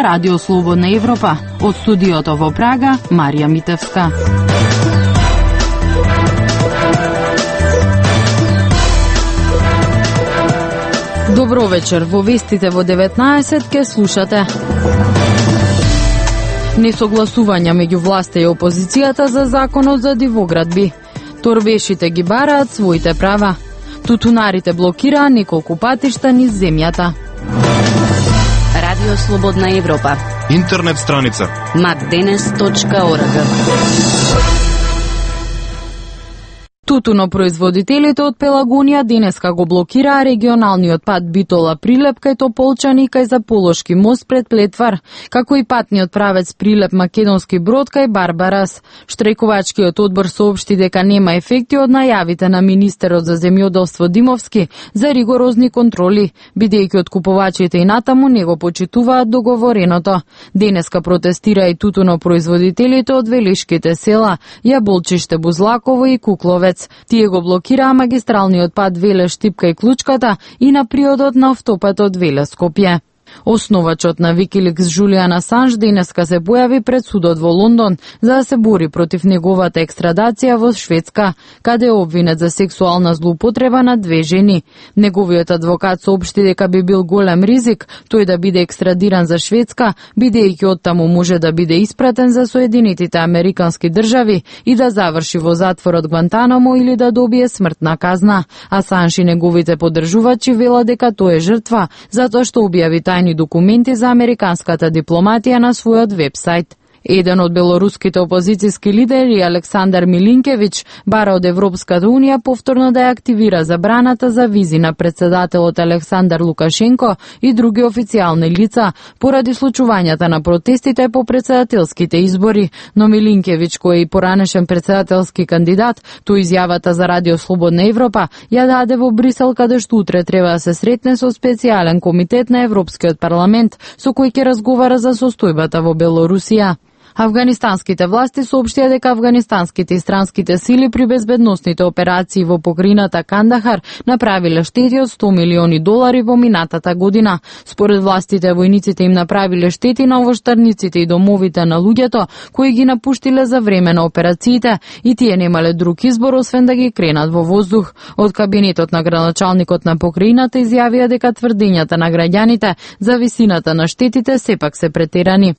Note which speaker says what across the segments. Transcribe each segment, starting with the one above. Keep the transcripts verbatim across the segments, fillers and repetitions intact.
Speaker 1: Радио Слободна Европа. Од студиото во Прага, Марија Митевска. Добро вечер, во вестите во деветнаесет ке слушате. Несогласувања меѓу власта и опозицијата за законот за дивоградби. Торбешите ги бараат своите права. Тутунарите блокираа неколку патишта низ земјата.
Speaker 2: Радио Слободна Европа.
Speaker 3: Интернет страница
Speaker 2: макденес точка орг.
Speaker 1: Тутунопроизводителите од Пелагонија денеска го блокираа регионалниот пат Битола Прилеп кај Тополчани кај Заполошки мост пред Плетвар, како и патниот правец Прилеп Македонски Брод кај Барбарас. Штрајкувачкиот одбор соопшти дека нема ефекти од најавите на министерот за земјоделство Димовски за ригорозни контроли, бидејќи откупувачите и натаму не го почитуваат договореното. Денеска протестира и тутунопроизводителите од велишките села Јаболчиште, Бузлаково и Кукловец. Тие го блокираа магистралниот пат Веле-Штипка и Клучката и на приодот на автопатот Веле-Скопје. Основачот на Викиликс Жулијан Асанж денеска се појави пред судот во Лондон за да се бори против неговата екстрадација во Шведска, каде е обвинет за сексуална злоупотреба на две жени. Неговиот адвокат соопшти дека би бил голем ризик тој да биде екстрадиран за Шведска, бидејќи оттаму може да биде испратен за Соединетите Американски држави и да заврши во затворот Гвантанамо или да добие смртна казна. Асанж и неговите поддржувачи велат дека тој е жртва затоа што објави тајни документи за американската дипломатија на својот вебсајт. Еден од белоруските опозицијски лидери, Александар Милинкевиќ, бара од Европската унија повторно да ја активира забраната за визи на председателот Александар Лукашенко и други официјални лица поради случувањата на протестите по председателските избори. Но Милинкевиќ, кој е и поранешен председателски кандидат, тој изјавата за Радио Слободна Европа ја даде во Брисел, каде што утре треба да се сретне со специјален комитет на Европскиот парламент, со кој ќе разговара за состојбата во Белорусија. Афганистанските власти соопштија дека афганистанските и странските сили при безбедносните операции во покрајината Кандахар направиле штети од сто милиони долари во минатата година. Според властите, војниците им направиле штети на овоштарниците и домовите на луѓето кои ги напуштиле за време на операциите и тие немале друг избор освен да ги кренат во воздух. Од кабинетот на градоначалникот на покрајината изјавија дека тврдењата на граѓаните за висината на штетите сепак се претерани.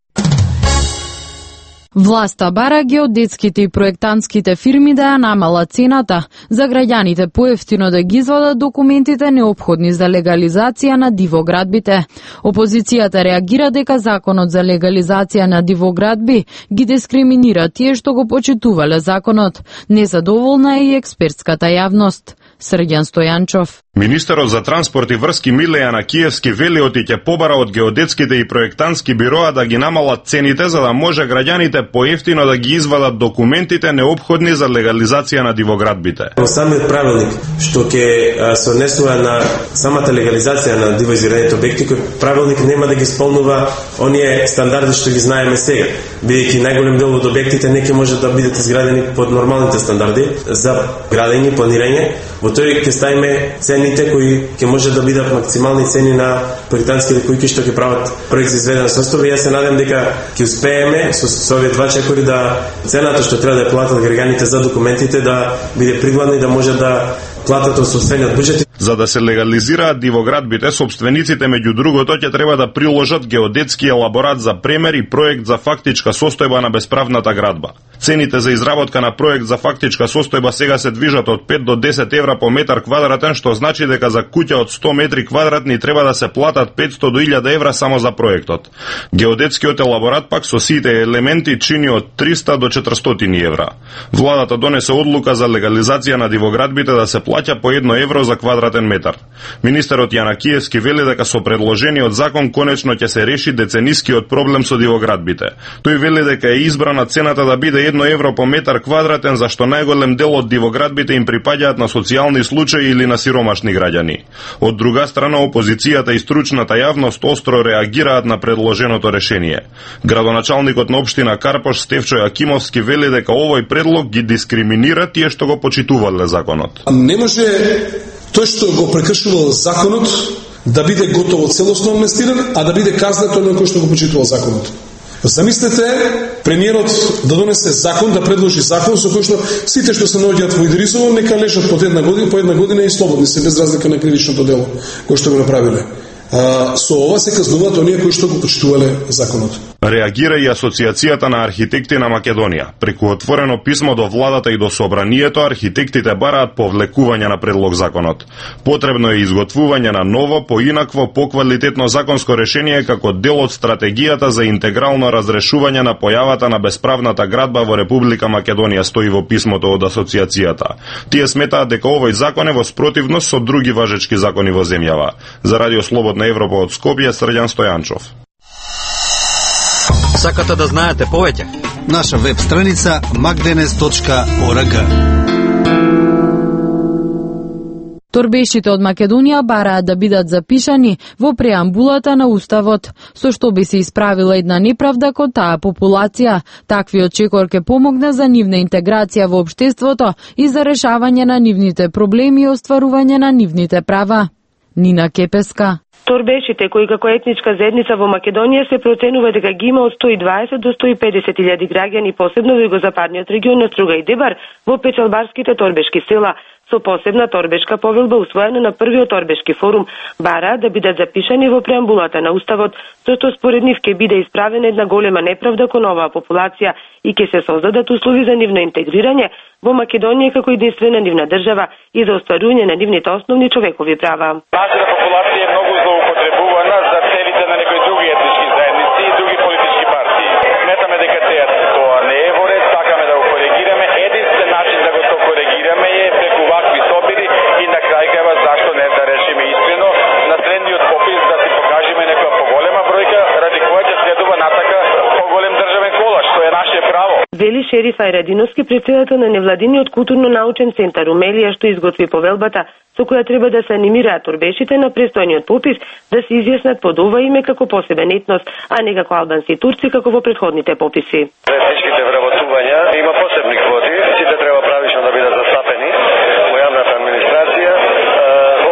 Speaker 1: Власта бара геодетските и проектантските фирми да ја намала цената за граѓаните поевтино да ги извадат документите неопходни за легализација на дивоградбите. Опозицијата реагира дека законот за легализација на дивоградби ги дискриминира тие што го почитувале законот. Незадоволна е и експертската јавност. Срѓан Стојанчов.
Speaker 3: Министерот за транспорт и врски Милејана Киевски вели оти ќе побара од геодетските и проектантски бироа да ги намалат цените за да може граѓаните поевтино да ги извадат документите неопходни за легализација на дивоградбите.
Speaker 4: Самиот правилник што ќе се однесува на самата легализација на дивоизградените објекти, кој правилник нема да ги исполнува оние стандарди што ги знаеме сега, бидејќи најголем дел од објектите не ќе може да бидат изградени под нормалните стандарди за градење и планирање. Во тој ќе ставиме цените кои ќе може да бидат максимални цени на проектантските кои што ќе прават проект за изведена состојба. Јас се надам дека ќе успееме со, со овие два чекори да цената што треба да платат граѓаните за документите да биде пригладна и да може да платат од собствениот буџет.
Speaker 3: За да се легализираат дивоградбите, собствениците меѓу другото ќе треба да приложат геодетски елаборат за премер и проект за фактичка состојба на бесправната градба. Цените за изработка на проект за фактичка состојба сега се движат од пет до десет евра по метар квадратен, што значи дека за куќа од сто метри квадратни треба да се платат петсто до илјада евра само за проектот. Геодетскиот елаборат пак со сите елементи чини од триста до четиристотини евра. Владата донесе одлука за легализација на дивоградбите да се плаќа по едно евро за квадратен метар. Министерот Јана Киевски вели дека со предложениот закон конечно ќе се реши деценискиот проблем со дивоградбите. Тој вели дека е избрана цената да биде едно евро по метар квадратен, зашто најголем дел од дивоградбите им припаѓаат на социјални случаи или на сиромашни граѓани. Од друга страна, опозицијата и стручната јавност остро реагираат на предложеното решение. Градоначалникот на општина Карпош Стефчо Јакимовски вели дека овој предлог ги дискриминира тие што го почитувале законот.
Speaker 5: Не може тој што го прекршувал законот да биде готово целосно амнестиран, а да биде казнет оној кој што го почитувал законот. Замислете премиерот да донесе закон, да предложи закон со кој што сите што се наоѓаат во Идрисово нека лежат по една година, по една година и слободни се без разлика на кривичното дело кој што го направиле. А, со ова се казнуваат оние кои што го почитувале законот.
Speaker 3: Реагира и Асоциацијата на архитекти на Македонија. Преку отворено писмо до владата и до собранието, архитектите бараат повлекување на предлог законот. Потребно е изготвување на ново, поинакво, поквалитетно законско решение како дел од стратегијата за интегрално разрешување на појавата на бесправната градба во Република Македонија, стои во писмото од Асоциацијата. Тие сметаат дека овој закон е во спротивност со други важечки закони во земјава. За Радио Слободна Европа од Скопје, Срđan Стојанчов.
Speaker 6: Сакате да знаете повеќе?
Speaker 7: Наша веб страница макденес точка орг.
Speaker 1: Торбешите од Македонија бараат да бидат запишани во преамбулата на Уставот, со што би се исправила една неправда кон таа популација. Таквиот чекор ќе помогне за нивна интеграција во општеството и за решавање на нивните проблеми и остварување на нивните права. Нина Кепеска.
Speaker 8: Торбешите кои како етничка заедница во Македонија се проценува дека ги има од сто и дваесет до сто и педесет илјади граѓани, посебно во югозападниот регион на Струга и Дебар, во печалбарските торбешки села. Со посебна торбешка повелба усвоена на првиот торбешки форум, бараат да бидат запишани во преамбулата на Уставот, со што според нив ќе биде исправена една голема неправда кон оваа популација и ќе се создадат услови за нивно интегрирање во Македонија како единствена нивна држава и за остварување на нивните основни човекови права.
Speaker 9: Нашата популација е многу злоупотребувана за целите на некои други етнички заедници и други политички партии. Сметаме дека тоа не е во ред, сакаме да го коригираме. Единствен начин да го то коригираме е преку вакви собири и на крај крајва зашто не да решиме искрено на следниот попис да си покажеме некоја поголема бројка ради која ќе следува натака поголем државен колаш, што е наше право.
Speaker 8: Вели Шериф Ајрадиновски, претседател на невладиниот културно-научен центар Умелија, што изготви повелбата со која треба да се анимираат торбешите на престојниот попис да се изјаснат под ова име како посебен етнос, а не како албанци и турци како во претходните пописи.
Speaker 9: Етничките вработувања има посебни квоти, сите треба правично да бидат застапени во јавната администрација.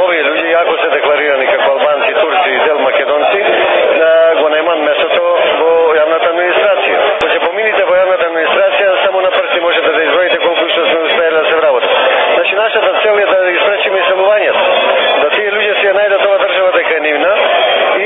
Speaker 9: Овие луѓе, иако се декларирани како албанци, турци и дел македонци, го немаат местото во јавната администрација. Кога ќе помините во јавната администрација, само на прсти можете да изброите колку што сме успеале да се вработат. Значи, нашата цел е да ги спречиме иселувањето, да тие луѓе си ја најдат ова држава дека е нивна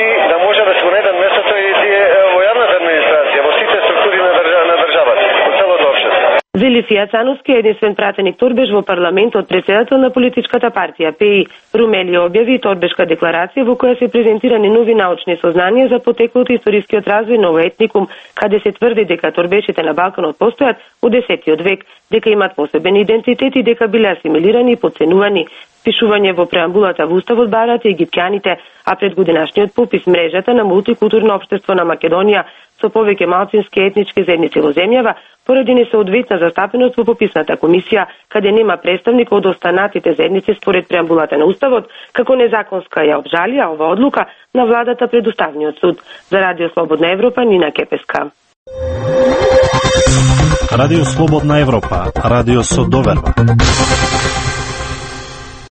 Speaker 9: и да може да се го најдат местото и тие во јавната администрација, во сите структури на, држава, на државата, во целото општество.
Speaker 8: Вели Фијат Цановски, единствен пратеник торбеш во парламентот, председател на политичката партија ПИ. Румелија објави торбешка декларација во која се презентирани нови научни сознанија за потеклото и историскиот развој на овој етникум, каде се тврди дека торбешите на Балканот постојат од десетиот век, дека имат посебен идентитет и дека биле асимилирани и подценувани. Пишување во преамбулата во Уставот бараат и египтјаните, а пред годинашниот попис мрежата на мултикултурно општество на Македонија со повеќе малцински етнички заедници во земјава, поради несоодветна застапеност во пописната комисија, каде нема представник од останатите заедници според преамбулата на Уставот, како незаконска ја обжалија ова одлука на владата пред Уставниот суд. За Радио Слободна Европа, Нина Кепеска.
Speaker 10: Радио Слободна Европа, радио со доверба.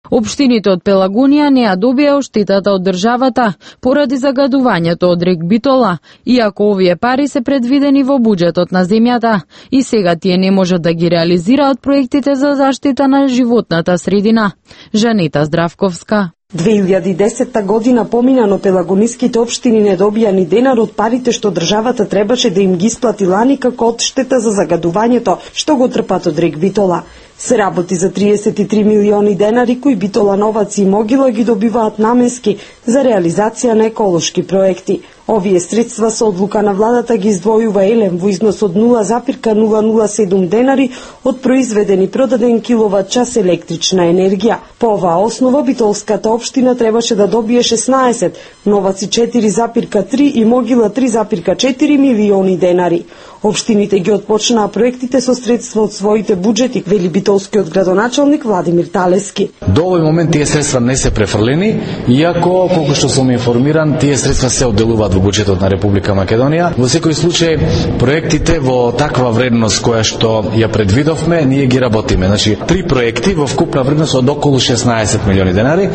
Speaker 1: Општините од Пелагонија не ја добија оштетата од државата поради загадувањето од рек Битола, иако овие пари се предвидени во буџетот на земјата и сега тие не можат да ги реализираат проектите за заштита на животната средина. Жанета Здравковска.
Speaker 11: две илјади и десетта година помина, но пелагониските општини не добија ни денар од парите што државата требаше да им ги исплати лани како одштета за загадувањето што го трпат од рек Битола. Се работи за триесет и три милиони денари кои Битолановаци и Могила ги добиваат наменски за реализација на еколошки проекти. Овие средства со одлука на владата ги издвојува Елем во износ од нула зарез нула нула седум денари од произведен и продаден киловат час електрична енергија. По оваа основа Битолската општина требаше да добие шеснаесет, Новаци четири зарез три и Могила три зарез четири милиони денари. Општините ги отпочнаа проектите со средства од своите буџети, вели битолскиот градоначалник Владимир Талески.
Speaker 6: До овој момент тие средства не се префрлени, иако колку што сум информиран, тие средства се одделуваат во буџетот на Република Македонија. Во секој случај проектите во таква вредност која што ја предвидовме, ние ги работиме. Значи три проекти во вкупна вредност од околу шеснаесет милиони денари.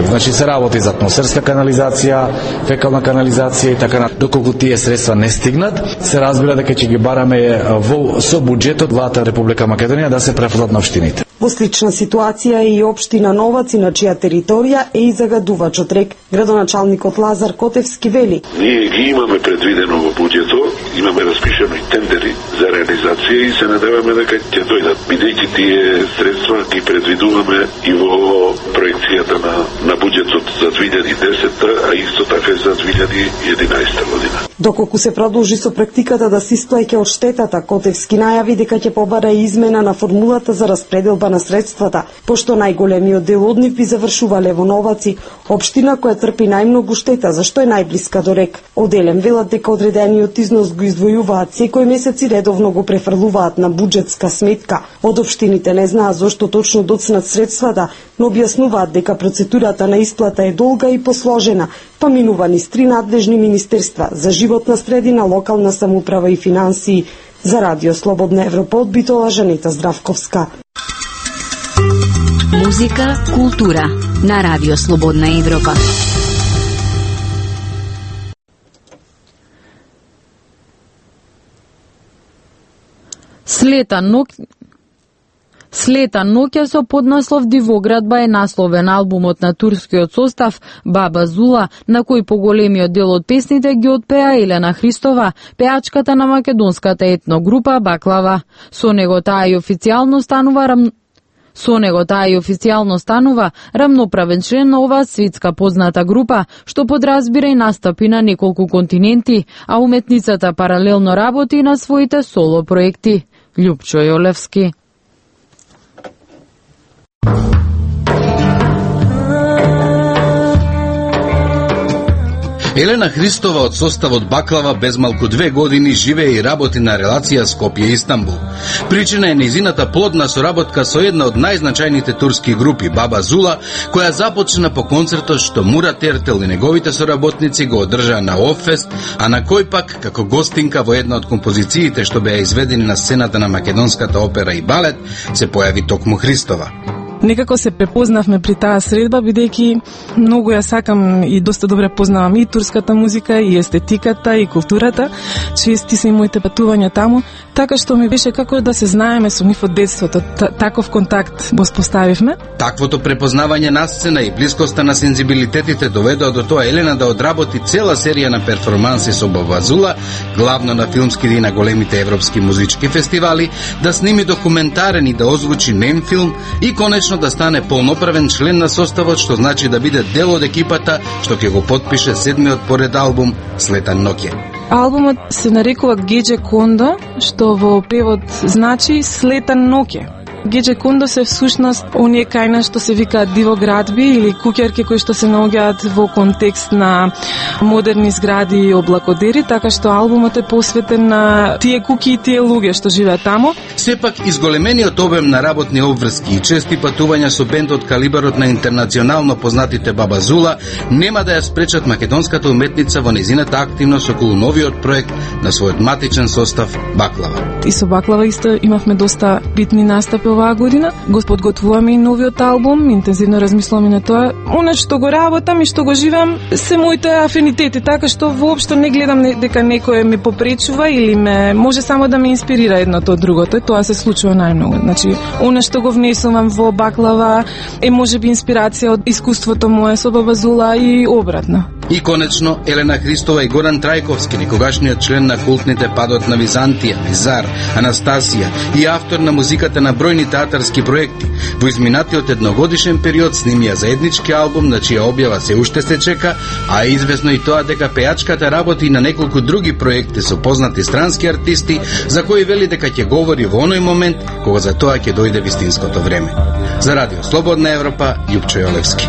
Speaker 6: Значи се работи за атмосферска канализација, фекална канализација и така на. Доколку тие средства не стигнат, се разбира дека ќе ги бараме во со буџетот влада Република Македонија да се префрлат на општините.
Speaker 11: Во слична ситуација е и општина Новаци, на чија територија е и загадувачот рек. Градоначалникот Лазар Котевски вели:
Speaker 12: Ние ги имаме предвидено во буџетот, имаме распишено и тендери за реализација и се надеваме дека ќе дојдат. Бидејќи тие средства ги предвидуваме и во проекцијата на на буџетот за две илјади и десета, а исто така и за две илјади и единаесета година.
Speaker 11: Доколку се продолжи со практиката да се исплаќа одштетата, Котевски најави дека ќе побара и измена на формулата за распределба на средствата, пошто најголемиот дел од нив би завршувале во Новаци, општина која трпи најмногу штета, зашто е најблиска до рек. Оделем велат дека одредениот износ го издвојуваат секој месец и редовно го префрлуваат на буџетска сметка. Од општините не знаат зошто точно доцнат средствата, но објаснуваат дека процедурата на исплата е долга и посложена, па минува низ три надлежни министерства за животна средина, локална самоуправа и финансии. За Радио Слободна Европа од Битола, Жанета Здравковска.
Speaker 2: Музика, култура на Радио Слободна Европа.
Speaker 1: Слета ноќ Слета ноќа со поднаслов Дивоградба е насловен албумот на турскиот состав Баба Зула, на кој поголемиот дел од песните ги отпеа Елена Христова, пеачката на македонската етногрупа Баклава. Со него таа и официјално станува рам... Со него таа и официјално станува рамноправен член на оваа светска позната група, што подразбира и настапи на неколку континенти, а уметницата паралелно работи на своите соло проекти. Љупчо Јолевски.
Speaker 13: Елена Христова од составот Баклава без малку две години живее и работи на релација Скопје и Истанбул. Причина е нејзината плодна соработка со една од најзначајните турски групи, Баба Зула, која започна по концертот што Мурат Ертел и неговите соработници го одржаа на Оффест, а на кој пак, како гостинка во една од композициите што беа изведени на сцената на македонската опера и балет, се појави токму Христова.
Speaker 14: Некако се препознавме при таа средба, бидејќи многу ја сакам и доста добре познавам и турската музика, и естетиката, и културата. Чести се и моите патувања таму, така што ми беше како да се знаеме со нив од детството. Таков контакт го споставивме.
Speaker 13: Таквото препознавање на сцена и блискоста на сензибилитетите доведоа до тоа Елена да одработи цела серија на перформанси со Баба Зула, главно на филмски и на големите европски музички фестивали, да сними документарен и да озвучи нем филм и конечно да стане полноправен член на составот, што значи да биде дел од екипата што ќе го потпише седмиот поред албум Слета ноќе.
Speaker 14: Албумот се нарекува Геџе Кондо, што во превод значи Слета ноќе. Геџе Кондо се всушност оние кајна што се викаат дивоградби или куќерки кои што се наоѓаат во контекст на модерни згради и облакодери, така што албумот е посветен на тие куќи и тие луѓе што живеат таму.
Speaker 13: Сепак изголемениот обем на работни обврски и чести патувања со бендот калибарот на интернационално познатите Баба Зула нема да ја спречат македонската уметница во незината активност околу новиот проект на својот матичен состав Баклава.
Speaker 14: И со Баклава исто имавме доста битни настапи оваа година. Го подготвуваме и новиот албум, интензивно размислуваме на тоа. Оно што го работам и што го живеам се моите афинитети, така што воопшто не гледам дека некој ме попречува или ме може само да ме инспирира едното од другото. Тоа се случува најмногу. Значи, оно што го внесувам во Баклава е можеби инспирација од искуството мое со Баба Зула и обратно.
Speaker 13: И конечно, Елена Христова и Горан Трајковски, некогашниот член на култните Падот на Византија, Визар, Анастасија и автор на музиката на бројни театарски проекти. Во изминатиот едногодишен период снимија заеднички албум на чија објава се уште се чека, а е известно и тоа дека пеачката работи на неколку други проекти со познати странски артисти, за кои вели дека ќе говори во оној момент кога за тоа ќе дојде вистинското време. За Радио Слободна Европа, Љупчо Јолевски.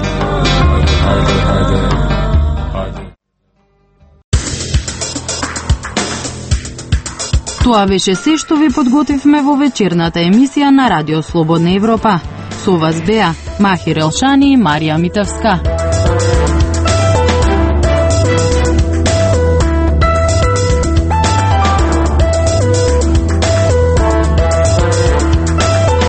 Speaker 1: Тоа беше се што ви подготвивме во вечерната емисија на Радио Слободна Европа. Со вас беа Махир Елшани и Марија Митевска.